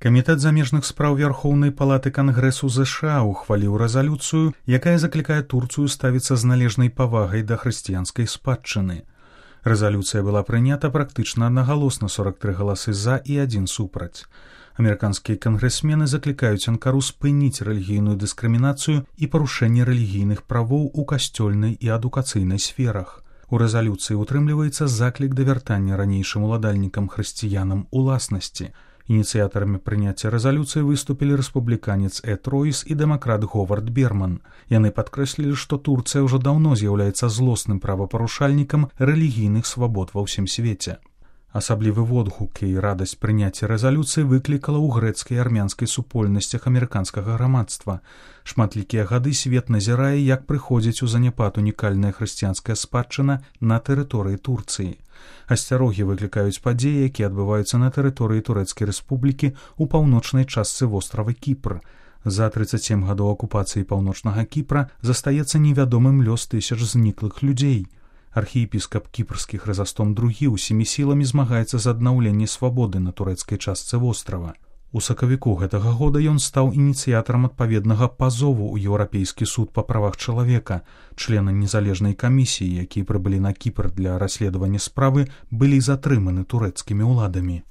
Камітэт замежных спраў Вярхоўнай палаты Кангрэсу ЗША ухваліў рэзалюцыю, якая заклікае Турцыю ставіцца з належнай павагай да хрысціянскай спадчыны. Рэзалюцыя была прынята практычна аднагалосна, 43 галасы за і 1 супраць. Амерыканскія кангрэсмены заклікаюць Анкару спыніць рэлігійную дыскрымінацыю і парушэнне рэлігійных правоў у касцёльнай і адукацыйнай сферах. У рэзалюцыі утрымліваецца заклік да вяртання ранейшым уладальнікам хрысціянам уласнасці. Ініцыятарамі прыняцця рэзалюцыі выступілі рэспубліканец Эд Ройс і дэмакрат Говард Берман. Яны падкрэслілі, што Турцыя ўжо даўно з'яўляецца злосным правапарушальнікам рэлігійных свабод ва ўсім свеце. Асаблівы водгук і радасць прыняцця рэзалюцыі выклікала ў грэцкай і армянскай супольнасцях амерыканскага грамадства. Шматлікія гады свет назірае, як прыходзіць у заняпад унікальная хрысціянская спадчына на тэрыторыі Турцыі. Асцярогі выклікаюць падзеі, якія адбываюцца на тэрыторыі Турэцкай рэспублікі ў паўночнай частцы вострава Кіпр. За 37 гадоў акупацыі паўночнага Кіпра застаецца невядомым лёс тысяч зніклых людзей. Архіепіскап кіпрскі Хрызастом II усімі сіламі змагаецца за аднаўленне свабоды на турэцкай частцы вострава. У сакавіку гэтага года ён стаў ініцыятарам адпаведнага пазову ў Еўрапейскі суд па правах чалавека. Члены незалежнай камісіі, якія прыбылі на Кіпр для расследавання справы, былі затрыманы турэцкімі ўладамі.